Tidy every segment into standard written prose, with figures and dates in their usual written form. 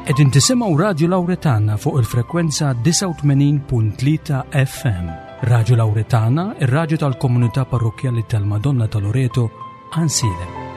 Qegħdin tisimgħu Radju Lawretana fuq il-frekwenza 89.3 FM. Radju Lawretana, ir-radju tal-komunità parrokkjali tal-Madonna ta' Loreto, Ansilem.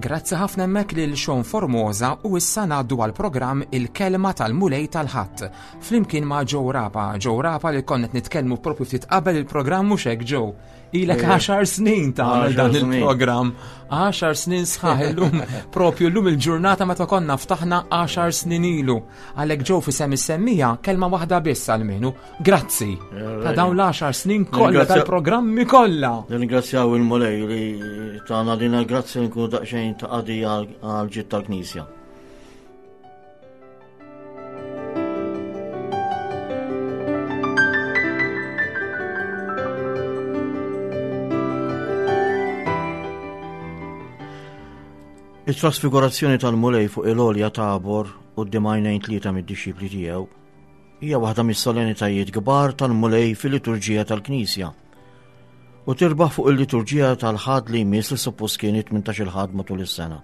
Grazzi ħafna hemmhekk lil Sean Formosa u issa ngħaddu għal programm Il-Kelma tal-Mulej tal-Ħadd. Flimkien ma' Joe Rapa, Joe Rapa li konnet nitkellmu propju ftit qabel il-programm mhux hekk Joe. Ilek 10 snin tagħmel dan il-programm. 10 snin sħaħ illum propju llum il-ġurnata meta konna ftaħna 10 snin ilu. Għalhekk ġew fi sem is-semmija kelma waħda biss għalmenu. Grazzi ta' dawn l-10 snin kollha tal-programmi kollha. Nirringrazzjaw il-Mulej li tagħna din il-grazzja nkunu daqsxejn ta' qadi għal ġid tal-Knisja. It-trasfigurazzjoni tal-Mulej fuq il-għolja Tabor quddiem għajnejn tlieta mid-dixxipli tiegħu hija waħda mis-solennitajiet kbar tal-Mulej fil-liturġija tal-Knisja u tirbaħ fuq il-liturġija tal-Ħadd li jmiss li suppost kien it-18 il-Ħadd matul is-sena.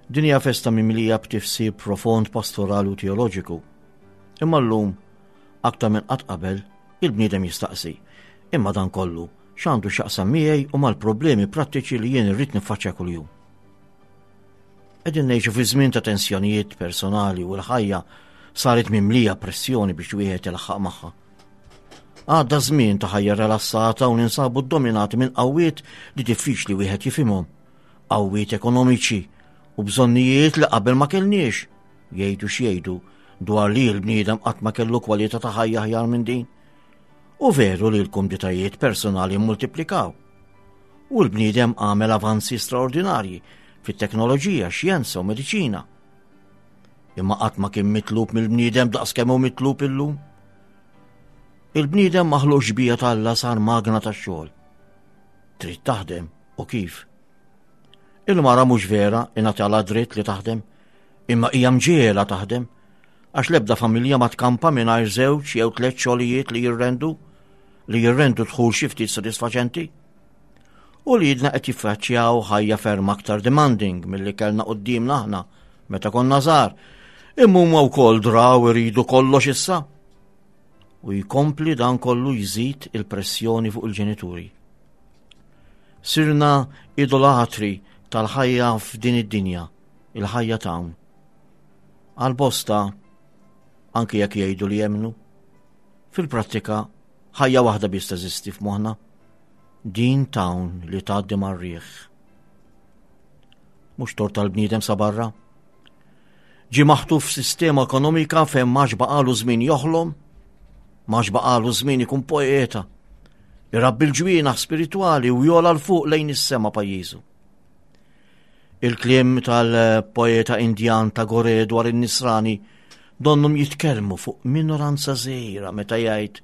Din hija festa mimlija b'tifsir profond pastorali u teoloġiku. Imma llum, aktar minn qatt qabel, il-bniedem jistaqsi, imma dan kollu x'għandu x'jaqsam miegħi u mal-problemi prattiċi li jien irrid niffaċċja kuljum. Qegħdin ngħixu fi żmien ta' tensjonijiet personali u l-ħajja saret mimlija pressjoni biex wieħed ilaħħaq magħha. Għadda żmien ta' ħajja relassata u ninsabu ddominati minn qawwiet li diffiċli wieħed jifhimhom. Qawwiet ekonomiċi u bżonnijiet li qabel ma kellniex, jgħidu x'jgħidu dwar li l-bniedem qatt ma kellu kwalità ta' ħajja aħjar minn din. U veru li l-kumditajiet personali mmultiplikaw. U l-bniedem għamel avanzi straordinarji fit-teknoloġija, xjenza u mediċina. Imma qatt ma kien mitlub mill-bniedem daqs kemm hu mitlub illum. Il-bniedem maħluq xbija t'Alla sar magna tax-xogħol. Trid taħdem u kif? Il-mara mhux vera ingħatalha dritt li taħdem, imma hija mġiegħla taħdem għax l-ebda familja ma tkampa mingħajr żewġ jew tliet xogħlijiet li jirrendu li jirrendu dħul xi ftit sodisfaċenti. U li jidna qed jiffaċċjaw ħajja ferm aktar demanding milli kellna quddiemna aħna meta konna żgħar. Imma huma wkoll draw iridu kollox issa. U jkompli dan kollu jżid il-pressjoni fuq il-ġenituri. Sirna idolatri tal-ħajja f'din id-dinja, il-ħajja t'hawn. Għal bosta, anki jekk jgħidu li jemmnu, fil-prattika ħajja waħda biss teżisti f'moħħna, din t'hawn li tgħaddi mar-riħ. Mhux tort tal-bniedem sa barra. Ġie maħtuf f'sistema ekonomika fejn m'għax baqalu żmien joħlom, m'għax baqalu żmien ikun poeta, irabbi l-ġwienaħ spiritwali u jola 'l fuq lejn is-sema pajjiżu. Il-kliem tal-poeta Indjan Tagore dwar in-Nisrani donnhom jitkellmu fuq minoranza żgħira meta jgħid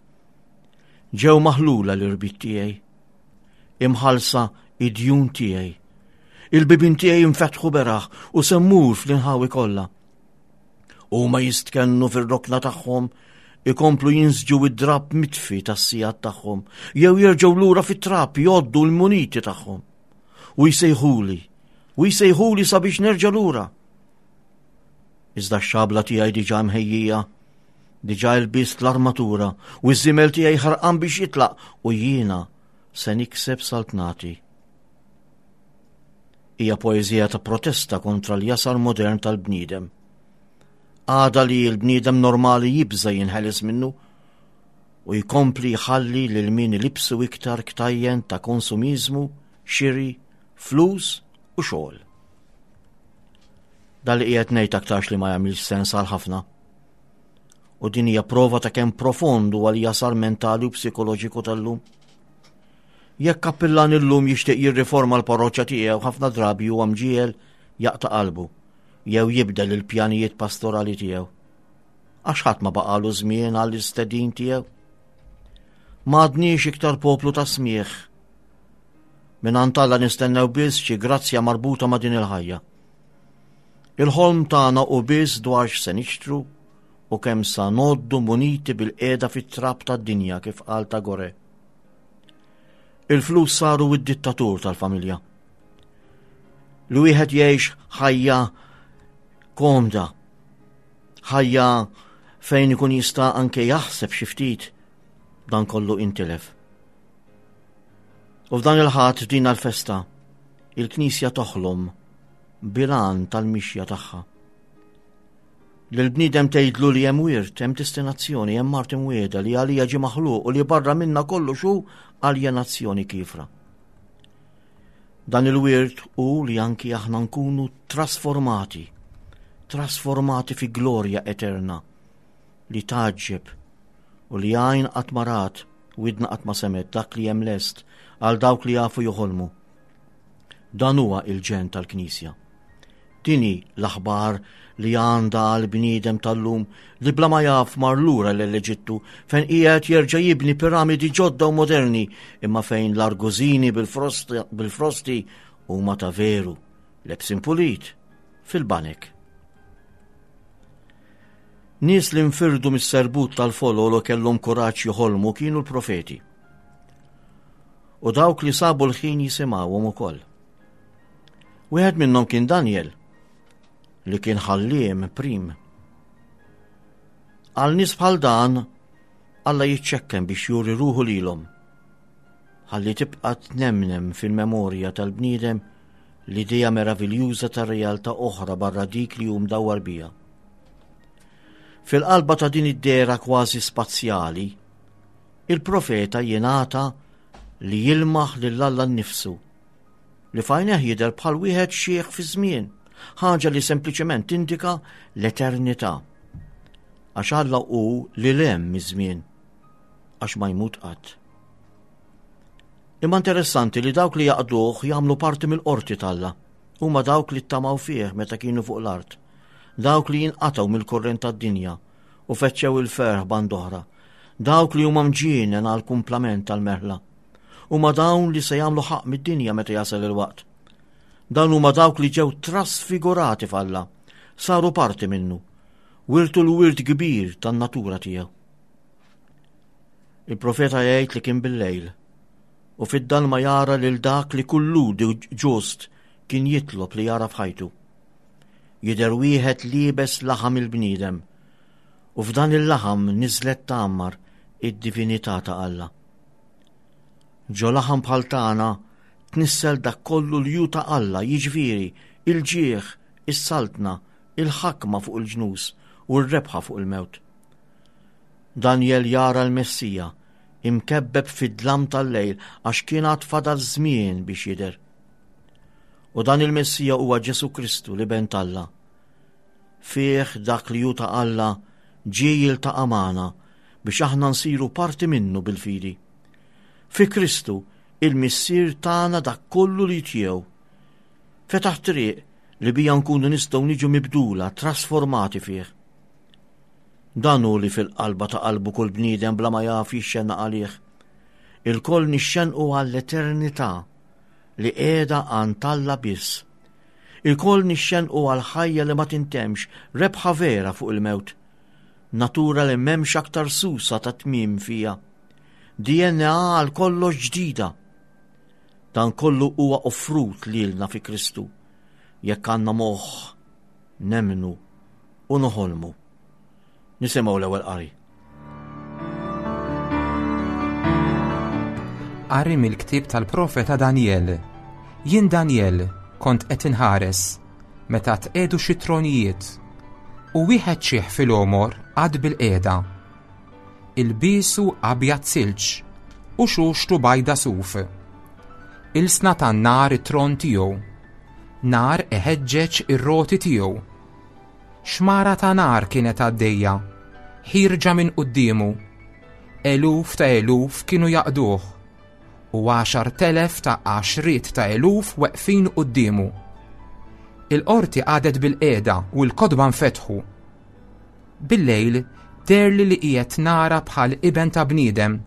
Ġew maħlula l-irbit tiegħi, imħallsa id-djun tiegħi. Il-bibien tiegħi infetħu beraħ u se mmur fl-inħawi kollha. Huma jistkennu fir-rokna tagħhom ikomplu jinsġu id-drapp mitfi tas-sigħat tagħhom jew jerġgħu lura fit-trab jgħoddu l-muniti tagħhom. U jsejħuli, u jsejħuli sabiex nerġa' lura. Iżda x-xabla tiegħi diġà mħejjija, diġà lbist l-armatura u ż-żiemel tiegħi ħarqan biex jitlaq u jiena se nikseb saltnati. Hija poeżija ta' protesta kontra l-jasar modern tal-bniedem. Għada li l-bniedem normali jibża jinħeles minnu u jkompli jħalli lil min ilibsu iktar ktajjen ta' konsumiżmu, xiri, flus u xogħol. Dan li qiegħed ngħid aktarx li ma jagħmilx sens għal ħafna. U din hija prova ta' kemm profond huwa l-jasar mentali u psikoloġiku tal-lum. Jekk kappillan illum jixtieq jirriforma l-parroċċa tiegħu ħafna drabi huwa mġiegħel jaqta' qalbu jew jibdel il-pjanijiet pastorali tiegħu. Għax ħadd ma baqalu żmien għall-istedin tiegħu. M'għadniex iktar poplu ta' smigħ. Mingħand Alla nistennew biss xi grazzja marbuta ma' din il-ħajja. Il-ħolm tagħna hu biss dwar x'se nixtru u kemm sa ngħoddu muniti bil-qiegħda fit-trab tad-dinja kif qal Tagore. Il-flus saru id-dittatur tal-familja. Li wieħed jgħix ħajja komda, ħajja fejn ikun jista' anke jaħseb xi ftit dan kollu intilef. U f'dan il-ħadd f'din l-festa, il-Knisja toħlom bil-għan tal-mixja tagħha. Lill-bniedem tgħidlu li hemm wirt, hemm destinazzjoni, hemm art imwiegħda li għalija ġie maħluq u li barra minna kollox hu aljenazzjoni kiefra. Dan il-wirt hu li anki aħna nkunu trasformati, trasformati fi glorja eterna li tgħaġġeb u li għajn qatt ma rat, widna qatt ma semgħet dak li hemm lest għal dawk li jafu joħolmu. Dan huwa il-ġenn tal-Knisja. Din hi l-aħbar li għandha għall-bniedem tal-lum li bla ma jaf mar lura l-Eġittu fejn qiegħed jerġa' jibni piramidi ġodda u moderni imma fejn l-argużini bil-frosti huma ta' veru lebsin pulit fil-banek. Nies li nfirdu mis-serbut tal-folol u kellhom kuraġġ joħolmu kienu l-profeti. U dawk li sabu l-ħin jisimgħuhom ukoll. Wieħed minnhom kien Daniel, li kien ħalliem prim. Għal nies bħal dan, Alla jiċċekken biex juri ruħu lilhom. Ħalli tibqa' tnemnem fil-memorja tal-bniedem l-idea meraviljuża ta' realtà oħra barra dik li hu mdawwar biha. Fil-qalba ta' din id-dehra kważi spazjali, il-profeta jingħata li jilmaħ lil Alla nnifsu li f'għajnejh jidher bħal wieħed xiħ fiż-żmien, ħaġa li sempliċement tindika l-eternità. Għax Alla hu lil hemm miż-żmien, għax ma jmut qatt. Imma interessanti li dawk li jaqduh jagħmlu parti mill-qorti t'Alla. Huma dawk li ttamaw fih meta kienu fuq l-art. Dawk li jinqatgħu mill-kurrent tad-dinja u fettxew il-ferħ band oħra. Dawk li huma mġienen għal kumplament tal-merħla. Huma dawn li se jagħmlu ħaqq mid-dinja meta jasal il-waqt. Dawn huma dawk li ġew trasfigurati f'Alla, saru parti minnu, wirtu l-wirt kbir tan-natura tiegħu. Il-profeta jgħid li kien bil-lejl u fid-dalma jara lil dak li kull ludi ġust kien jitlob li jara f'ħajtu. Jidher wieħed liebes laħam il-bniedem u f'dan il-laħam niżlet tgħammar id-divinità ta' Alla. Ġo laħam bħal tagħna tnissel dak kollu li hu ta' Alla, jiġifieri il-ġieħ, is-saltna, il-ħakma fuq il-ġnus u r-rebħa fuq il-mewt. Danjel jara l-Messija imkebbeb fid-dlam tal-lejl għax kien għad fadal żmien biex jidher. U dan il-Messija huwa Ġesù Kristu l-Iben t'Alla. Fih dak li hu ta' Alla ġie jiltaqa' magħna biex aħna nsiru parti minnu bil-fidi. Fi Kristu, il-Missier tana dak kollu li tiegħu. Fetaħ triq li bija nkunu nistgħu niġu mibdula, trasformati fih. Dan hu li fil-qalba ta' qalbu kull bniedem bla ma jaf jixxennaq għalih. Ilkoll nixxennqu għall-eternità li qiegħda għand Alla biss. Ilkoll nixxennqu għal ħajja li ma tintemx, rebħa vera fuq il-mewt. Natura li m'hemmx aktar susa ta' tmiem fiha. DNA għal kollox ġdida. Dan kollu huwa offrut lilna fi Kristu. Jekk għandna moħħ nemmnu u noħolmu. Nisimgħu l-ewwel qari. Qari mill-ktieb tal-profeta Danjel. Jien Danjel, Kont qed inħares meta tqiegħdu xi tronijiet u wieħed xiħ fil-għomor qagħad bilqiegħda. Ilbiesu abjad silġ u xuxtu bajda suf. Ilsna tan-nar it-tron tiegħu. Nar iħeġġeġ ir-roti tiegħu. Xmara ta' nar kienet għaddejja, ħierġa minn quddiemu. Eluf ta' eluf kienu jaqduh, u 10,000 ta' għaxriet ta' eluf weqfin quddiemu. Il-qorti qagħdet bilqiegħda u l-kotba nfetħu. Billejl deherli li qiegħed nara bħal iben ta' bniedem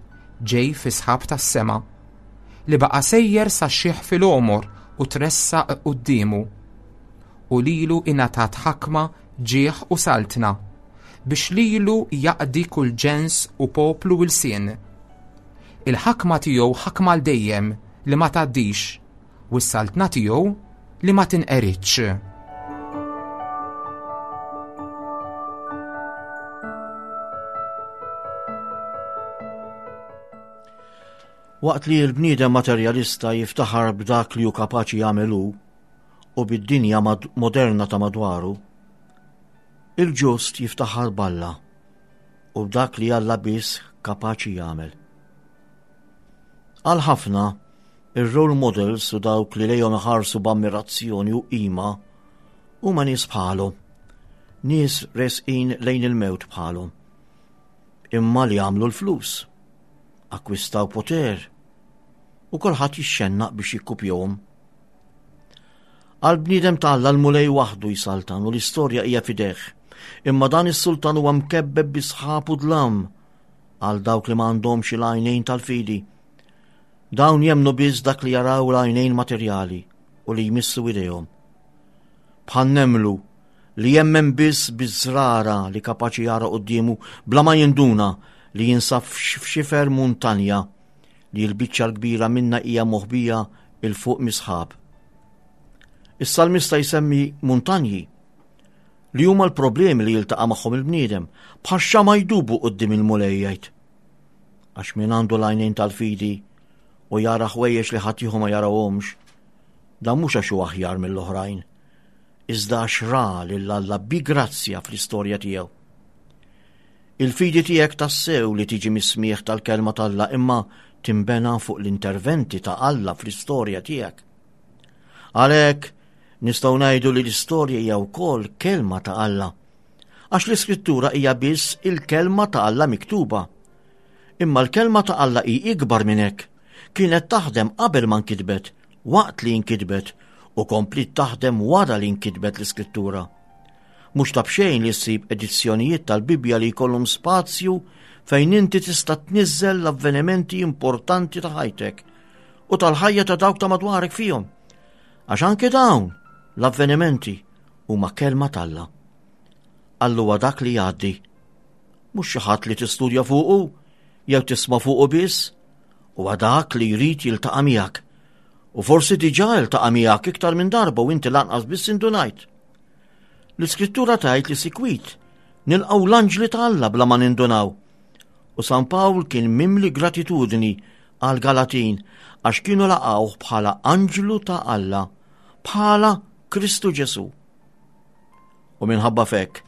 ġej fis-sħab tas-sema, li baqa' sejjer sax-xiħ fil-għomor u tressaq quddiemu. U lilu ingħatat ħakma, ġieħ u saltna, biex lilu jaqdi kull ġens u poplu u lsien. Il-ħakma tiegħu ħakma għal dejjem li ma tgħaddix, u s-saltna tiegħu li ma tinqeridx. Waqt li l-bniedem materjalista jiftaħar b'dak li hu kapaċi jagħmel hu u bid-dinja moderna ta' madwaru, il-ġust jiftaħar b'Alla u b'dak li Alla biss kapaċi jagħmel. Għal ħafna, Ir-role models u dawk li lejhom iħarsu b'ammirazzjoni u qima huma nies bħalhom, nies resqin lejn il-mewt bħalhom, imma li għamlu l-flus, akkwistaw poter, u kulħadd jixxennaq biex jikkupjahom. Għal bniedem ta' Alla l-Mulej waħdu jsaltan u l-istorja hija f'idejh. Imma dan is-sultan huwa mkebbeb bi sħab u dlam għal dawk li ma għandhomx il-għajnejn tal-fidi. Dawn jemmnu biss dak li jaraw l-għajnejn materjali u li jmissu idejhom. Bħal nemmlu li jemmen biss biż-żrara li kapaċi jara quddiemu bla ma jinduna li jinsab f'xifer muntanja li l-biċċa l-kbira minna hija moħbija 'il fuq mis-sħab. Is-salmista jsemmi muntanji li huma l-problemi li jiltaqa' magħhom il-bniedem bħal xama jdubu quddiem il-Mulej jgħid. Għax min għandu l-għajnejn tal-fidi u jara ħwejjeġ li ħaddieħor ma jarawhomx, dan mhux għax hu aħjar mill-oħrajn, iżda għax ra lil Alla bi grazzja fl-istorja tiegħu. Il-fidi tiegħek tassew li tiġi mis-smigħ tal-kelma t'Alla imma tinbena fuq l-interventi ta' Alla fl-istorja tiegħek. Għalhekk nistgħu ngħidu li l-istorja hija wkoll kelma ta' Alla. Għax l-Iskrittura hija biss il-kelma ta' Alla miktuba. Imma l-kelma ta' Alla hi ikbar minn hekk. Kienet taħdem qabel ma nkitbet, waqt li nkitbet, u kompliet taħdem wara li nkitbet l-Iskrittura. Mhux ta' b'xejn li ssib edizzjonijiet tal-Bibbja li jkollhom spazju fejn inti tista' tniżżel l-avvenimenti importanti ta' ħajtek u tal-ħajja ta' dawk ta' madwarek fihom. Għax anke dawn l-avvenimenti huma kelma t'Alla. Alla huwa dak li jgħaddi. Mhux xi ħadd li tistudja fuqu jew tisma' fuqu biss, huwa dak li jrid jiltaqa' miegħek. U forsi diġà iltaqa' miegħek iktar minn darba u inti lanqas biss indunajt. L-Iskrittura tgħid li sikwit nilqgħu l-anġli ta' Alla bla ma nindunaw. U San Pawl kien mimli gratitudni għal Galatin għax kienu laqgħuh bħala anġlu ta' Alla, bħala Kristu Ġesù. U minħabba fekk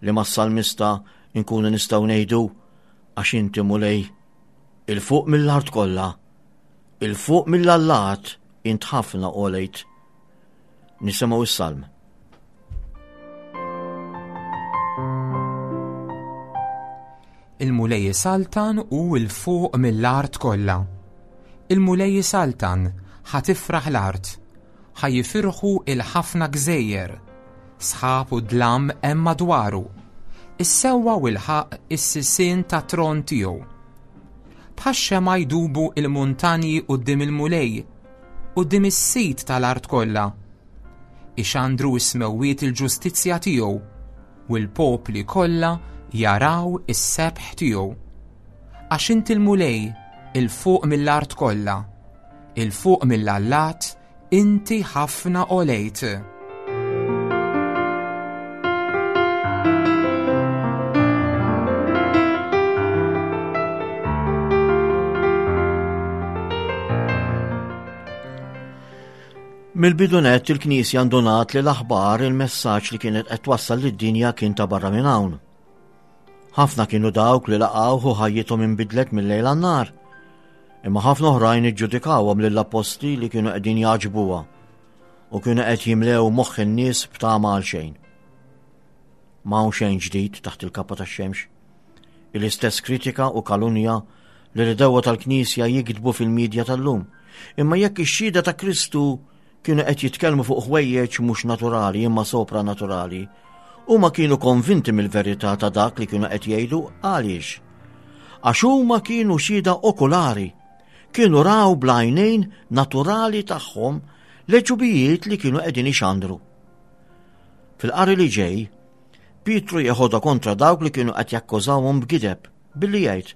li mas-salmista nkunu nistgħu ngħidu għax inti Mulej 'il fuq mill-art kollha, 'il fuq mill-allat int ħafna għolejt. Nisimgħu s-salm. Il-Mulej isaltan u 'l fuq mill-art kollha. Il-Mulej isaltan, ħa tifraħ l-art, Ħa jifirħu il-ħafna gżejjer. Sħab u dlam hemm madwaru. Is-sewwa u l-ħaqq is-sisien tat-tron tiegħu. Bħax-xemgħa jdubu l-muntanji quddiem il-Mulej, quddiem is-Sid tal-art kollha. Ixandru s-smewwiet il-ġustizzja tiegħu, u l-popli kollha jaraw is-sebħ tiegħu. Għax inti l-Mulej, 'il fuq mill-art kollha. 'Il fuq mill-allat inti ħafna għolejt. Mill-bidu nett il-Knisja ndunat li l-aħbar il-messaġġ li kienet qed twassal lid-dinja kien ta' barra minn hawn. Ħafna kienu dawk li laqgħuh u ħajjithom inbidlet mil-lejl għan-nhar. Imma ħafna oħrajn iġġudikawhom lill-appostli li kienu qegħdin jagħġbuha u kienu qed jimlew moħħ in-nies b'tama għal xejn. M'hawn xejn ġdid taħt il-kappa tax-xemx. Il-istess kritika u kalunja li l-idewwa tal-Knisja jiktbu fil-midja tal-lum. Imma jekk ix-xhieda ta' Kristu kienu qed jitkellmu fuq ħwejjeġ mhux naturali imma sopranaturali, huma kienu konvinti mill-verità ta' dak li kienu qed jgħidu għaliex? Għax huma kienu xhieda okulari, kienu raw bl-għajnejn naturali tagħhom l-għeġubijiet li kienu qegħdin ixandru. Fil-qari li ġej, Pietru jeħodha kontra dawk li kienu qed jakkużawhom b'gideb billi jgħid,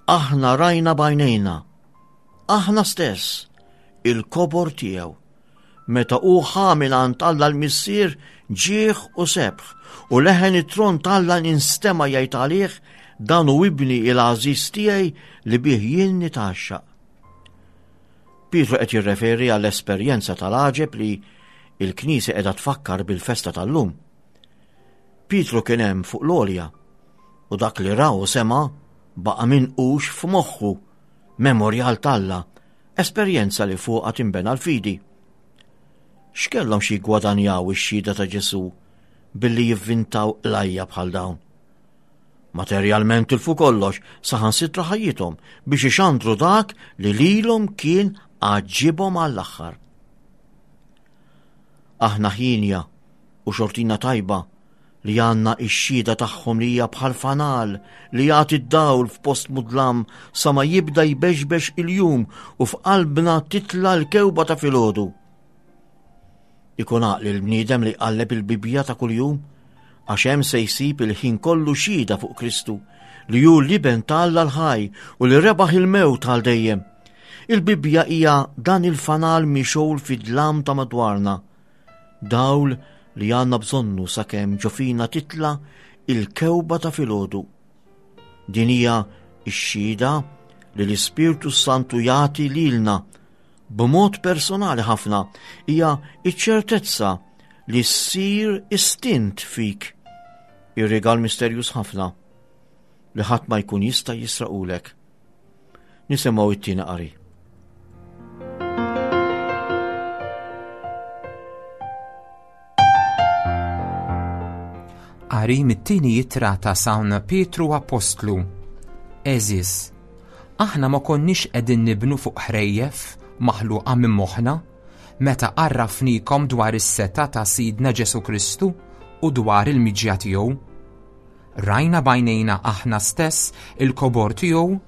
Aħna rajna b'għajnejna, aħna stess, il-kobor tiegħu. Meta hu ħa mingħand Alla l-Missier ġieħ u sebħ, u leħen it-tron t'Alla instema' jgħid għalih, dan hu ibni il-għażiż tiegħi li bih jien nitgħaxxaq. Pietru qed jirreferi għall-esperjenza tal-għaġeb li l-Knisja qiegħda tfakkar bil-festa tal-lum. Pietru kien hemm fuq l-għolja u dak li ra u sema' baqa' minqux f'moħħu, memorjal t'Alla, esperjenza li fuqha tinbena l-fidi. X'kellhom xi jiggwadanjaw ix-xhieda ta' Ġesù billi jivvintaw qlajja bħal dawn? Materjalment tilfu kollox, saħansitra ħajjithom, biex ixandru dak li lilhom kien għaġġibhom għall-aħħar. Aħna ħienja u xortina tajba li għandna x-xhieda tagħhom li hija bħal fanal li jagħti d-dawl f'post mudlam sa ma jibda jbexbex il-jum u f'qalbna titla l-kewba ta' filgħodu. Ikun għaqli l-bniedem li jqalleb il-Bibbja ta' kuljum, għax hemm se jsib il-ħin kollu xhieda fuq Kristu, li hu l-Iben ta' Alla l-ħaj u li rebaħ il-mewt għal dejjem. Il-Bibbja hija dan il-fanal mixgħul fid-dlam ta' madwarna, dawl li għandna bżonnu sakemm ġo fina titla' il-kewba ta' filgħodu. Din hija x-xhieda li l-Ispirtu s-Santu jagħti lilna b'mod personali ħafna hija ċ-ċertezza li ssir istint fik. Ir-rigal misterjuż ħafna li ħadd ma jkun jista' jisraqulek. Nisimgħu it-tieni qari. Qari mit-tieni ittra ta' San Pietru Appostlu. Għeżież, aħna ma konniex qegħdin nibnu fuq ħrejjef maħluqa minn moħħna meta għarrafnikom dwar is-setgħa ta' Sidna Ġesù Kristu u dwar il-miġja tiegħu. Rajna b'għajnejna aħna stess il-kobor tiegħu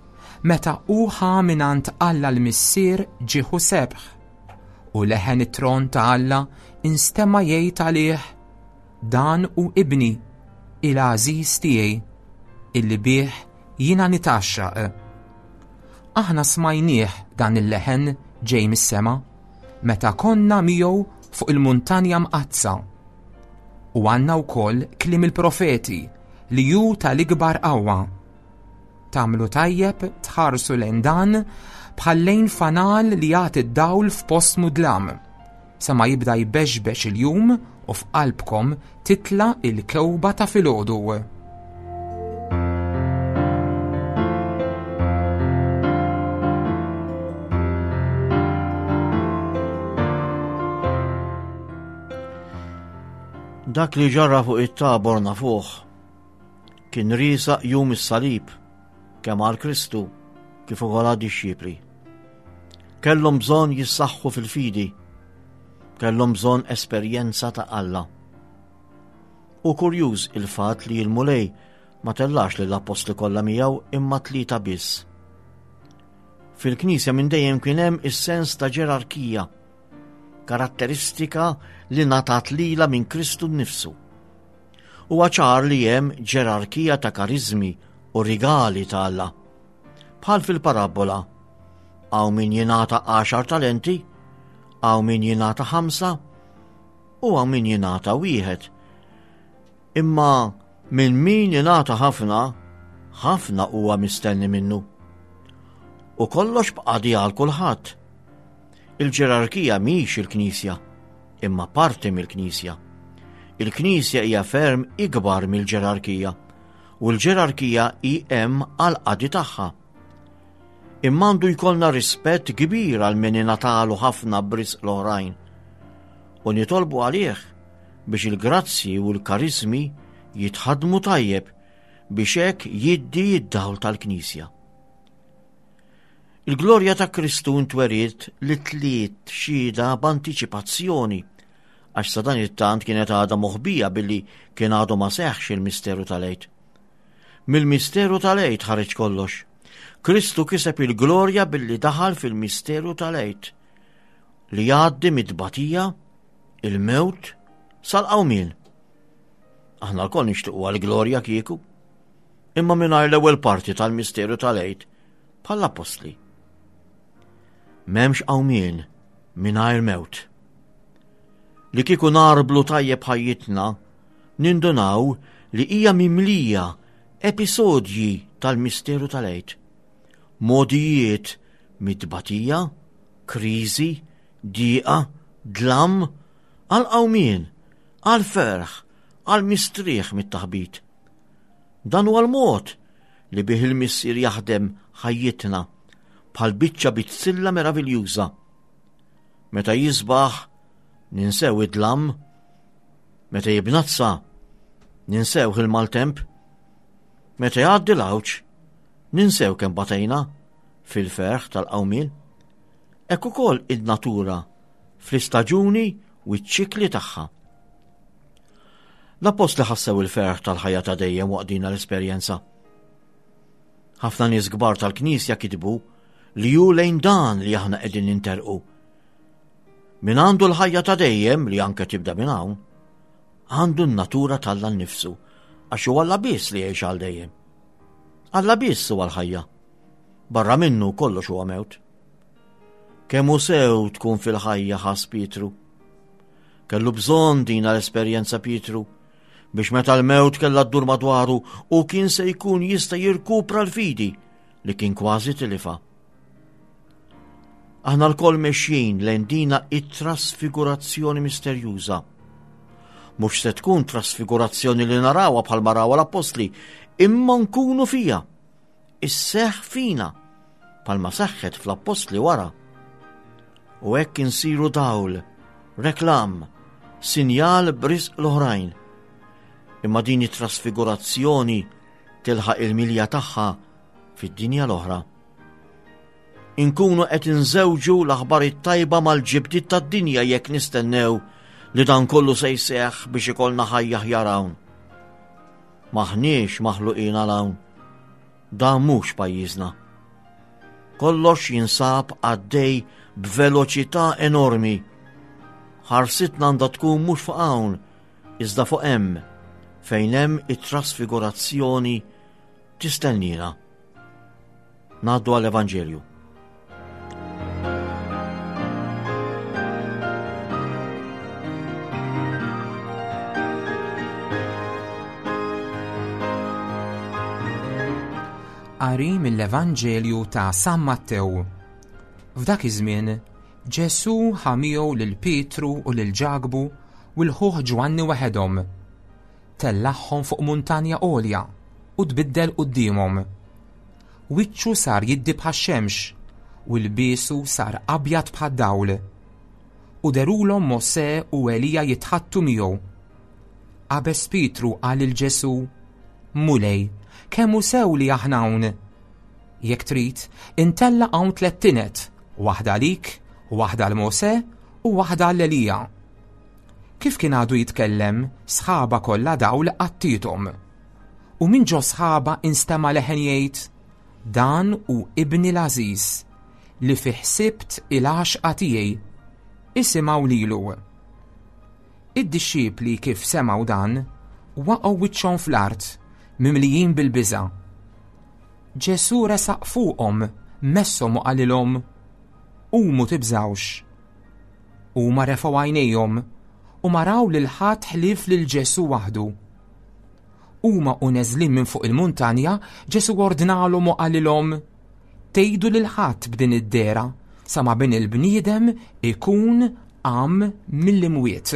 meta hu ħa mingħand Alla l-Missier ġieħ u sebħ. U leħen it-tron ta' Alla instema' jgħid għalih, Dan hu ibni, il-għażiż tiegħi, illi bih jiena nitgħaxxaq. Aħna smajnieh dan il-leħen ġej mis-sema meta konna miegħu fuq il-muntanja mqaddsa. U għandna wkoll kliem il-profeti li hu tal-ikbar qawwa. Tagħmlu tajjeb tħarsu lejn dan bħal lejn fanal li jagħti d-dawl f'post mudlam, sa ma jibda jbexbex il-jum u f'qalbkom titla' il-kewba ta' filgħodu. Dak li ġara fuq it-tabor nafuh. Kien riesaq jum is-salib, kemm għal Kristu kif ukoll għad-dixxipli. Kellhom bżonn jissaħħu fil-fidi, kellhom bżonn esperjenza ta' Alla. U kurjuż il-fatt li l-Mulej ma tellax lill-appostli kollha miegħu imma tlieta biss. Fil-Knisja minn dejjem kien hemm is-sens ta' ġerarkija, karatteristika li ngħatat lilha minn Kristu nnifsu. Huwa ċar li hemm ġerarkija ta' kariżmi u rigali ta' Alla. Bħal fil-parabbola, hawn min jingħata għaxar talenti, hawn min jingħata ħamsa u hawn min jingħata wieħed. Imma minn min jingħata ħafna, ħafna huwa mistenni minnu. U kollox b'qadi għal kulħadd. Il-ġerarkija mhix il-Knisja, imma parti mill-Knisja. Il-Knisja hija ferm ikbar mill-ġerarkija u l-ġerarkija hi hemm għall-qadi tagħha. Imma għandu jkollna rispett kbir għal min ingħatalu ħafna b'risq l-oħrajn. U nitolbu għalih biex il-grazzji u l-kariżmi jitħaddmu tajjeb biex hekk jiddi d-dawl tal-Knisja. Il-glorja ta' Kristu ntweriet li tliet xhieda b'antiċipazzjoni għax sa dan it-tant kienet għadha moħbija billi kien għadu ma seħħx il-misteru tal-Għid. Mill-misteru tal-Għid ħareġ kollox. Kristu kiseb il-glorja billi daħal fil-misteru tal-Għid li jgħaddi mid-tbatija, il-mewt, sal-qawmien. Aħna lkoll nixtiequ għall-glorja kieku. Imma mingħajr l-ewwel parti tal-misteru tal-Għid bħall-appostli. M'hemmx qawmien mingħajr mewt. Li kieku narblu tajjeb ħajjitna, nindunaw li hija mimlija episodji tal-misteru tal-Għid. Modijiet mit-tbatija, kriżi, dieqa, dlam, għal qawmien, għal ferħ, għal mistrieħ mit-taħbit. Dan huwa l-mod li bih il-Missier jaħdem ħajjitna bħal biċċa bizzilla meraviljuża. Meta jisbaħ ninsew id-dlam, meta jibnazza ninsew il-maltemp, meta jgħaddi l-għawġ ninsew kemm batejna fil-ferħ tal-qawmien. Hekk ukoll id-natura fl-istaġuni u ċ-ċikli tagħha. L-appostli ħassew il-ferħ tal-ħajja ta' dejjem waqt din l-esperjenza. Ħafna nies kbar tal-Knisja kitbu li hu lejn dan li aħna qegħdin ninterqu. Min għandu l-ħajja ta' dejjem li anke tibda minn hawn, għandu n-natura t'Alla nnifsu għax hu Alla biss li jgħix għal dejjem. Alla biss huwa l-ħajja. Barra minnu kollox huwa mewt. Kemm hu sew tkun fil-ħajja ħass Pietru. Kellu bżonn dina l-esperjenza Pietru biex meta l-mewt kellha ddur madwaru u kien se jkun jista' jirkupra l-fidi li kien kważi tilifa. Aħna lkoll mexjin lejn dina it-trasfigurazzjoni misterjuża. Mhux se tkun trasfigurazzjoni li narawha bħalma rawha l-appostli, imma nkunu fija. Isseħħ fina bħalma seħħet fl-appostli wara. U hekk insiru dawl, reklam, sinjal b'risq l-oħrajn. Imma din it-trasfigurazzjoni tilħaq il-milja tagħha fid-dinja l-oħra. Inkunu qed inżewġu l-aħbar it-tajba mal-ġibdiet tad-dinja jekk nistennew li dan kollu se jseħħ biex ikollna ħajja aħjar hawn. M'aħniex maħluqin għal hawn. Dan mhux pajjiżna. Kollox jinsab għaddej b'veloċità enormi. Ħarsitna għandha tkun mhux fuq hawn, iżda fuq hemm, fejn hemm it-trasfigurazzjoni tistennina. Ngħaddu għall-Evanġelju. Qari mill-Evanġelju ta' San Mattew. F'dak iż-żmien, Ġesù ħa miegħu lil Pietru u lil Ġakbu u l-ħuh Ġwanni waħedhom. Tellagħhom fuq muntanja għolja u tbiddel quddiemhom. Wiċċu sar jiddi bħax-xemx u lbiesu sar abjad bħad-dawl. U dherulhom Mosè u Elija jitħaddtu miegħu. Qabeż Pietru qal lil Ġesù, Mulej, kemm hu sew li aħna hawn! Jekk trid, intella' hawn tlett tined, waħda għalik, waħda għal Mosè u waħda għal Elija. Kif kien għadu jitkellem, sħaba kollha dawl għattiethom. U minn ġo sħaba instema' leħen jgħid, Dan hu ibni l-għażiż, li fih sibt il-għaxqa tiegħi. Isimgħu lilu. Id-dixxipli kif semgħu dan, waqgħu wiċċhom fl-art, mimlijin bil-biża'. Ġesù resaq fuqhom, messhom u qalilhom, Qumu tibżgħux. Huma refgħu għajnejhom u ma raw lil ħadd ħlief lil Ġesù waħdu. Huma u neżlin minn fuq il-muntanja, Ġesù ordnalhom u qalilhom, Tgħidu lil ħadd b'din id-dehra. sa ma bin il-bniedem ikun qam mill-imwiet.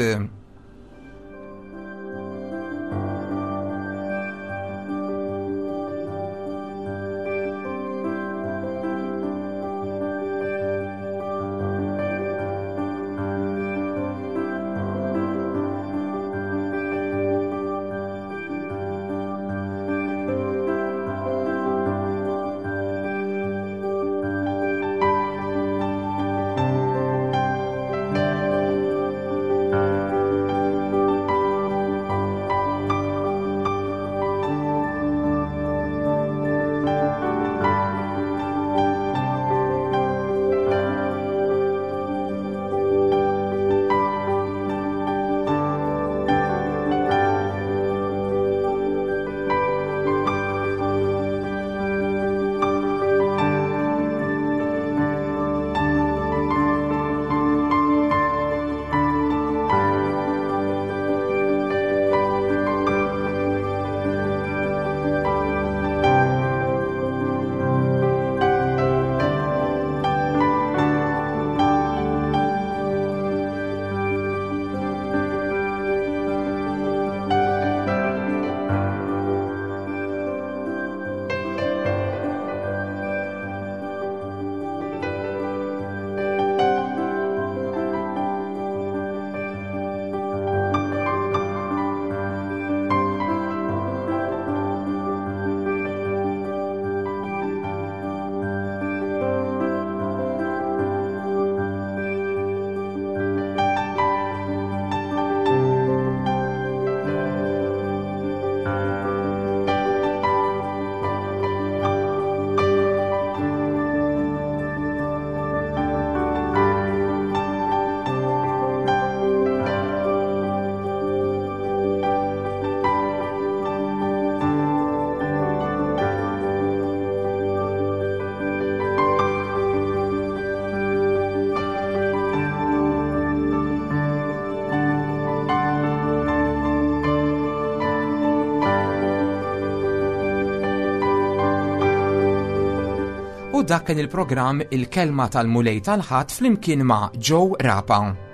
U dak kien il-programm Il-Kelma tal-Mulej tal-Ħadd flimkien ma' Joe Rapa.